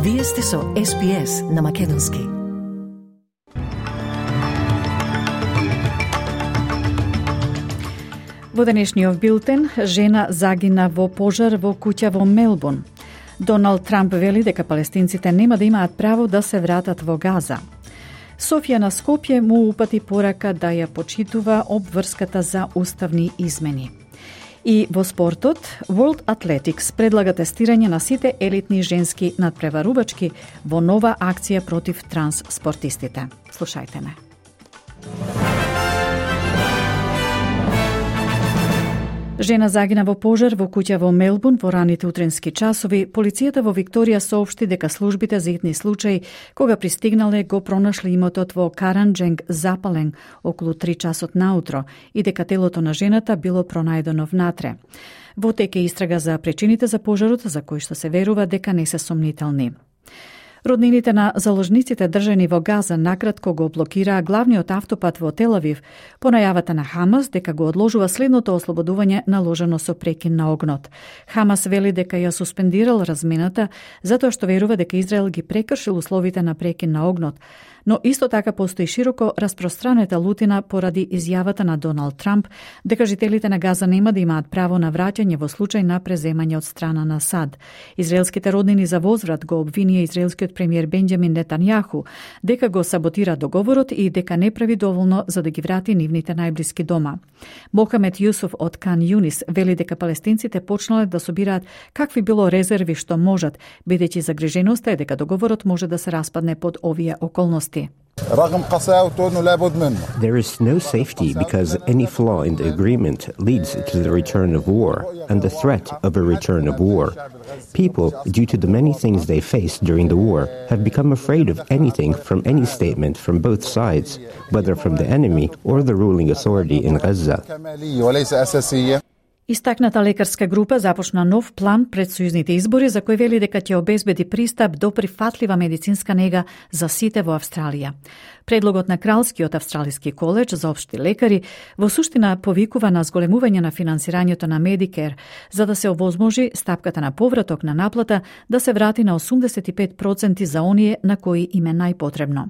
Вие сте со SPS на македонски. Во денешниот билтен, жена загина во пожар во куќа во Мелбурн. Доналд Трамп вели дека палестинците нема да имаат право да се вратат во Газа. Софија на Скопје му упати порака да ја почитува обврската за уставни измени. И во спортот, World Athletics предлага тестирање на сите елитни женски надпреварувачки во нова акција против транс-спортистите. Слушајте ме. Жена загина во пожар во куќа во Мелбурн во раните утренски часови. Полицијата во Викторија соопшти дека службите за итни случаи, кога пристигнале, го пронашли имотот во Каранџенг запален околу 3 часот наутро и дека телото на жената било пронајдено внатре. Во тек е истрага за причините за пожарот, за кои што се верува дека не се сомнителни. Роднините на заложниците држани во Газа накратко го блокираа главниот автопат во Тел Авив по најавата на Хамас дека го одложува следното ослободување наложено со прекин на огнот. Хамас вели дека ја суспендирал размената затоа што верува дека Израел ги прекршил условите на прекин на огнот, но исто така постои широко распространета лутина поради изјавата на Доналд Трамп дека жителите на Газа нема да имаат право на враќање во случај на преземање од страна на САД. Израелските роднини за возврат го обвинија израелскиот премиер Бенџамин Нетањаху дека го саботира договорот и дека не прави доволно за да ги врати нивните најблиски дома. Мохамед Јусуф од Кан Јунис вели дека палестинците почнале да собираат какви било резерви што можат, бидејќи загриженоста е дека договорот може да се распадне под овие околности. There is no safety because any flaw in the agreement leads to the return of war and the threat of a return of war. People, due to the many things they faced during the war, have become afraid of anything from any statement from both sides, whether from the enemy or the ruling authority in Gaza. Истакната лекарска група започна нов план пред сојузните избори за кој вели дека ќе обезбеди пристап до прифатлива медицинска нега за сите во Австралија. Предлогот на Кралскиот австралиски коледж за општи лекари во суштина повикува на зголемување на финансирањето на Medicare, за да се овозможи стапката на повраток на наплата да се врати на 85% за оние на кои им е најпотребно.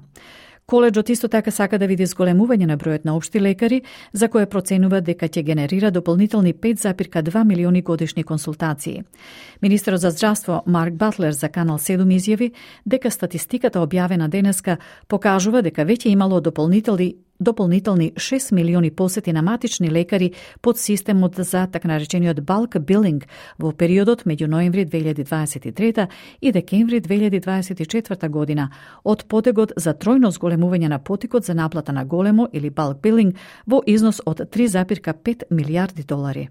Коледжот исто така сака да види зголемување на бројот на општи лекари, за кое проценува дека ќе генерира дополнителни 5,2 милиони годишни консултации. Министерот за здравство Марк Батлер за Канал 7 изјави дека статистиката објавена денеска покажува дека веќе имало дополнителни 6 милиони посети на матични лекари под системот за така наречениот bulk billing во периодот меѓу ноември 2023 и декември 2024 година, од потегот за тројно зголемување на потикот за наплата на големо или bulk billing во износ од 3,5 милијарди долари.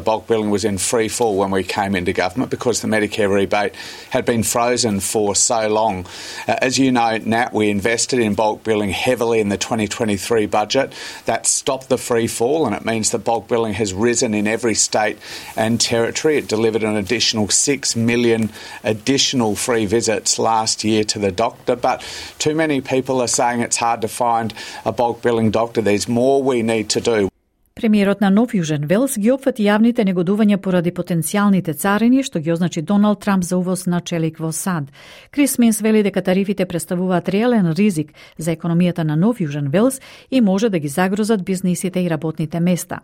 Bulk billing was in free fall when we came into government because the Medicare rebate had been frozen for so long. As you know, Nat, we invested in bulk billing heavily in the 2023 budget. That stopped the free fall, and it means that bulk billing has risen in every state and territory. It delivered an additional 6 million additional free visits last year to the doctor, but too many people are saying it's hard to find a bulk billing doctor. There's more we need to do. Премиерот на Нов Јужен Велс ги опфати јавните негодувања поради потенцијалните царини што ги означи Доналд Трамп за увоз на челик во САД. Крис Минс вели дека тарифите представуваат реален ризик за економијата на Нов Јужен Велс и може да ги загрозат бизнисите и работните места.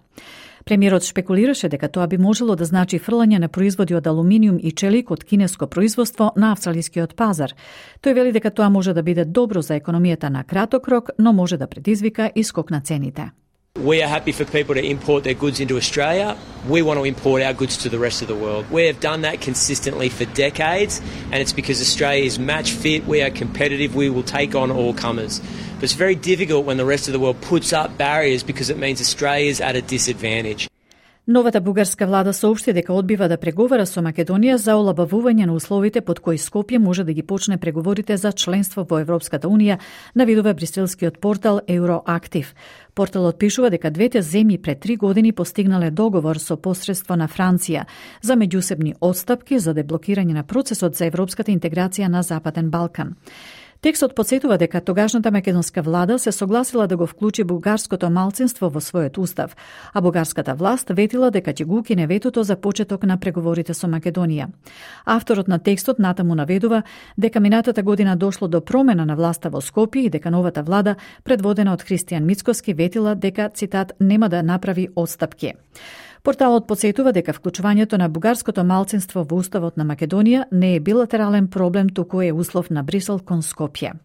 Премиерот шпекулираше дека тоа би можело да значи фрлање на производи од алуминиум и челик од кинеско производство на австралискиот пазар. Тој вели дека тоа може да биде добро за економијата на краток рок, но може да предизвика и скок на цените. We are happy for people to import their goods into Australia. We want to import our goods to the rest of the world. We have done that consistently for decades, and it's because Australia is match fit, we are competitive, we will take on all comers. But it's very difficult when the rest of the world puts up barriers because it means Australia is at a disadvantage. Новата бугарска влада соопшти дека одбива да преговара со Македонија за олабавување на условите под кои Скопје може да ги почне преговорите за членство во Европската унија, навидува бриселскиот портал Euroactiv. Порталот пишува дека двете земји пред 3 години постигнале договор со посредство на Франција за меѓусебни отстапки за деблокирање на процесот за европската интеграција на Западен Балкан. Текстот потсетува дека тогашната македонска влада се согласила да го вклучи бугарското малцинство во својот устав, а бугарската власт ветила дека ќе го укине ветото за почеток на преговорите со Македонија. Авторот на текстот натаму наведува дека минатата година дошло до промена на власта во Скопје и дека новата влада, предводена од Христијан Мицкоски, ветила дека, цитат, нема да направи отстапки. Порталот потсетува дека вклучувањето на бугарското малцинство во уставот на Македонија не е билатерален проблем, туку е услов на Брисел кон Скопје.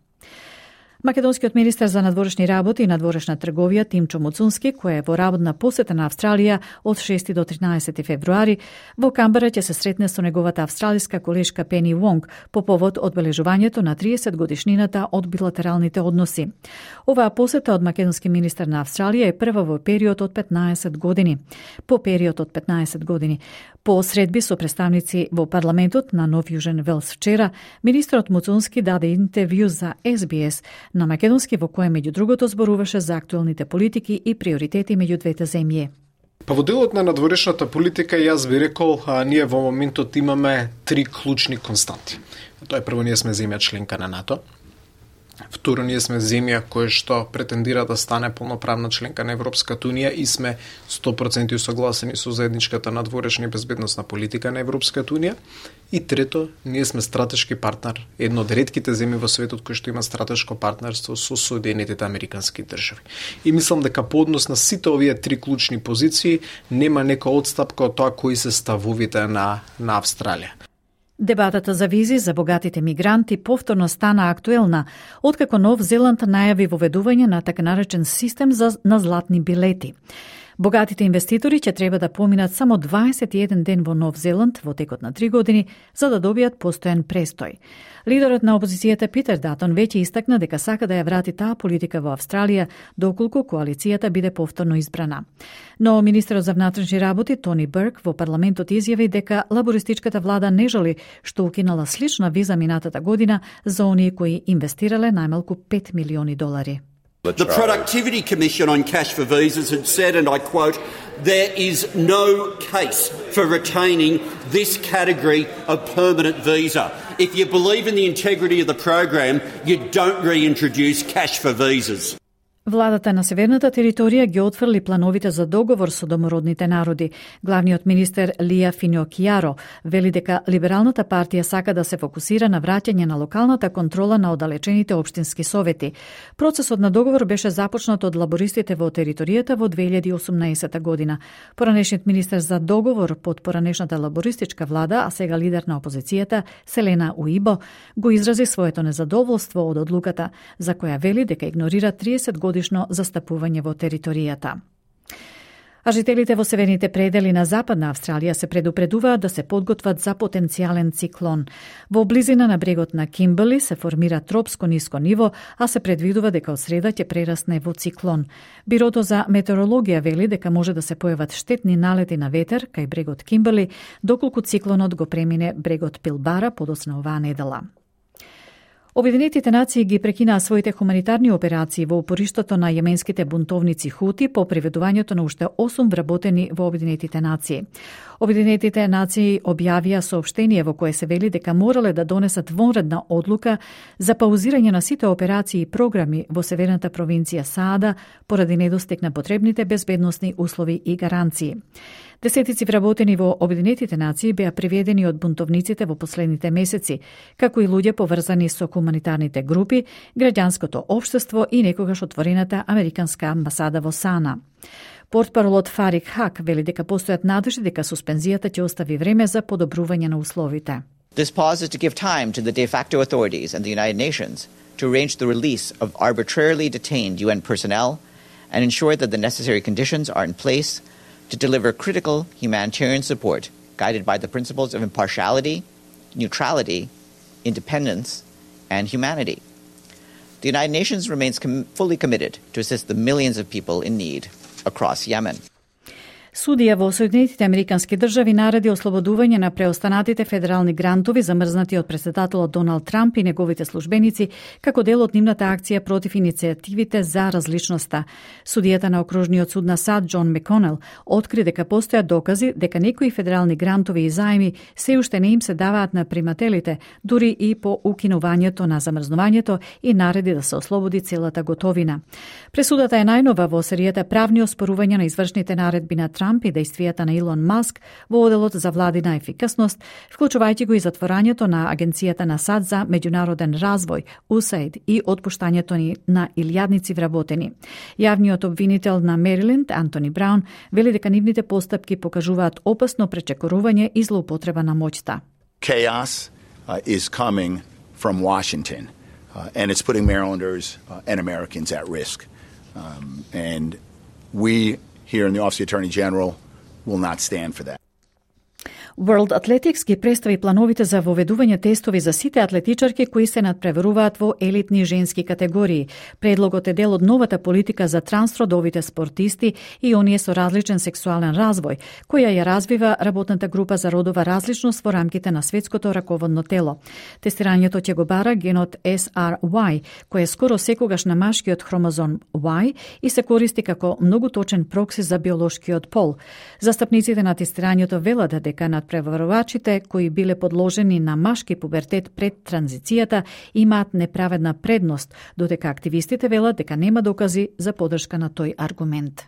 Македонскиот министер за надворешни работи и надворешна трговија Тимчо Муцунски, кој е во работна посета на Австралија од 6 до 13 февруари, во Камбера ќе се сретне со неговата австралиска колешка Пени Вонг по повод одбележувањето на 30 годишнината од билатералните односи. Оваа посета од македонски министер на Австралија е прва во период од 15 години. По средби со представници во парламентот на Нов Јужен Велс вчера, министерот Муцунски даде интервју за SBS на македонски, во кое меѓу другото зборуваше за актуелните политики и приоритети меѓу двете земји. Па во делот на надворешната политика јас би рекол, ние во моментот имаме 3 клучни константи. Тоа е прво, ние сме земја членка на НАТО. Второ, ние сме земја која што претендира да стане полноправна членка на Европската унија и сме 100% усогласени со заедничката надворешна и безбедносна политика на Европската унија. И трето, ние сме стратешки партнер, едно од ретките земји во светот кои што има стратешко партнерство со Соединетите Американски држави. И мислам дека по однос на сите овие 3 клучни позиции нема нека отстапка од тоа кои се ставовите на Австралија. Дебатата за визи за богатите мигранти повторно стана актуелна, откако Нов Зеланд најави воведување на така наречен систем на златни билети. Богатите инвеститори ќе треба да поминат само 21 ден во Нов Зеланд во текот на 3 години за да добијат постојан престој. Лидерот на опозицијата Питер Датон веќе истакна дека сака да ја врати таа политика во Австралија доколку коалицијата биде повторно избрана. Но министерот за внатрешни работи Тони Берк во парламентот изјави дека лабористичката влада не жали што укинала слична виза минатата година за оние кои инвестирале најмалку $5 милиони. The Productivity Commission on Cash for Visas had said, and I quote, "There is no case for retaining this category of permanent visa. If you believe in the integrity of the program, you don't reintroduce cash for visas." Владата на Северната територија ги отфрли плановите за договор со домородните народи. Главниот министер Лија Финокјаро вели дека Либералната партија сака да се фокусира на враќање на локалната контрола на оддалечените општински совети. Процесот на договор беше започнат од лабористите во територијата во 2018 година. Поранешниот министер за договор под поранешната лабористичка влада, а сега лидер на опозицијата, Селена Уибо, го изрази своето незадоволство од одлуката, за која вели дека игнорира 30 годишно застапување во територијата. А жителите во северните предели на Западна Австралија се предупредуваат да се подготват за потенцијален циклон. Во близина на брегот на Кимберли се формира тропско ниско ниво, а се предвидува дека од среда ќе прерасне во циклон. Бирото за метеорологија вели дека може да се појават штетни налети на ветер кај брегот Кимберли, доколку циклонот го премине брегот Пилбара подоцна оваа недела. Обединетите нации ги прекинаа своите хуманитарни операции во упориштото на јеменските бунтовници Хути по приведувањето на уште 8 вработени во Обединетите нации. Обединетите нации објавија соопштение во кое се вели дека морале да донесат вонредна одлука за паузирање на сите операции и програми во северната провинција Саада поради недостиг на потребните безбедносни услови и гаранции. Десетици вработени во Обединетите нации беа приведени од бунтовниците во последните месеци, како и луѓе поврзани со хуманитарните групи, граѓанското општество и некогаш отворената американска амбасада во Сана. Портпаролот Фарик Хак вели дека постојат надежди дека суспензијата ќе остави време за подобрување на условите. This pause is to give time to the de facto authorities and the United Nations to arrange the release of arbitrarily detained UN personnel and ensure that the necessary conditions are in place to deliver critical humanitarian support guided by the principles of impartiality, neutrality, independence, and humanity. The United Nations remains fully committed to assist the millions of people in need across Yemen. Судија во Соединетите Американски држави нареди ослободување на преостанатите федерални грантови замрзнати од претседателот Доналд Трамп и неговите службеници како дел од нивната акција против иницијативите за различноста. Судијата на Окружниот суд на САД Џон Маконел откри дека постојат докази дека некои федерални грантови и заеми се уште не им се даваат на примателите, дури и по укинувањето на замрзнувањето, и нареди да се ослободи целата готовина. Пресудата е најнова во серијата правни оспорувања на извршните наредби на Трамп и действијата на Илон Маск во оделот за владина ефикасност, вклучувајќи го и затворањето на Агенцијата на САД за меѓународен развој, USAID, и отпуштањето на илјадници вработени. Јавниот обвинител на Мериленд, Антони Браун, вели дека нивните постапки покажуваат опасно пречекорување и злоупотреба на моќта. Chaos is coming from Washington, and it's putting Marylanders and Americans at risk. And we here in the Office of the Attorney General will not stand for that. World Athletics ги представи плановите за воведување тестови за сите атлетичарки кои се надпреваруваат во елитни женски категории. Предлогот е дел од новата политика за трансродовите спортисти и оние со различен сексуален развој, која ја развива работната група за родова различност во рамките на светското раководно тело. Тестирањето ќе го бара генот SRY, кој е скоро секогаш на машкиот хромозом Y и се користи како многу точен прокси за биолошкиот пол. Застапниците на тестирањето велат дека надпреварувачите кои биле подложени на машки пубертет пред транзицијата имаат неправедна предност, додека активистите велат дека нема докази за поддршка на тој аргумент.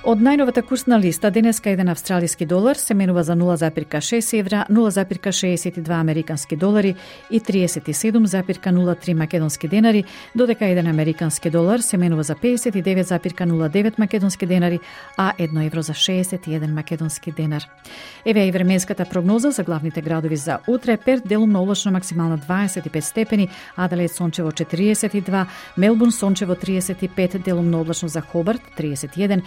Од најновата курсна листа, денеска еден австралиски долар се менува за 0,6 евра, 0,62 американски долари и 37,03 македонски денари, додека еден американски долар се менува за 59,09 македонски денари, а 1 евро за 61 македонски денар. Еве и временската прогноза за главните градови за утре: Перт делумно облачно, максимално 25 степени, Аделаид сончево 42, Мелбурн сончево 35, делумно облачно за Хобарт 31,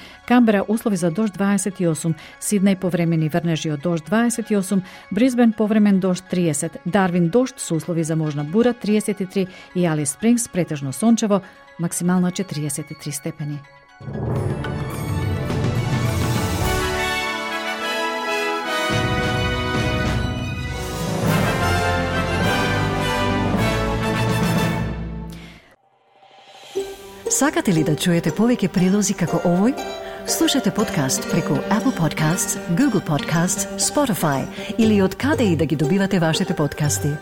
Камбера услови за дожд 28, Сиднеј повремени врнежи од дожд 28, Брисбен повремен дожд 30, Дарвин дожд со услови за можна бура 33 и Алис Спрингс претежно сончево, максимално 43 степени. Сакате ли да чуете повеќе прилози како овој? Слушате подкаст преку Apple Podcasts, Google Podcasts, Spotify или од каде и да ги добивате вашите подкасти.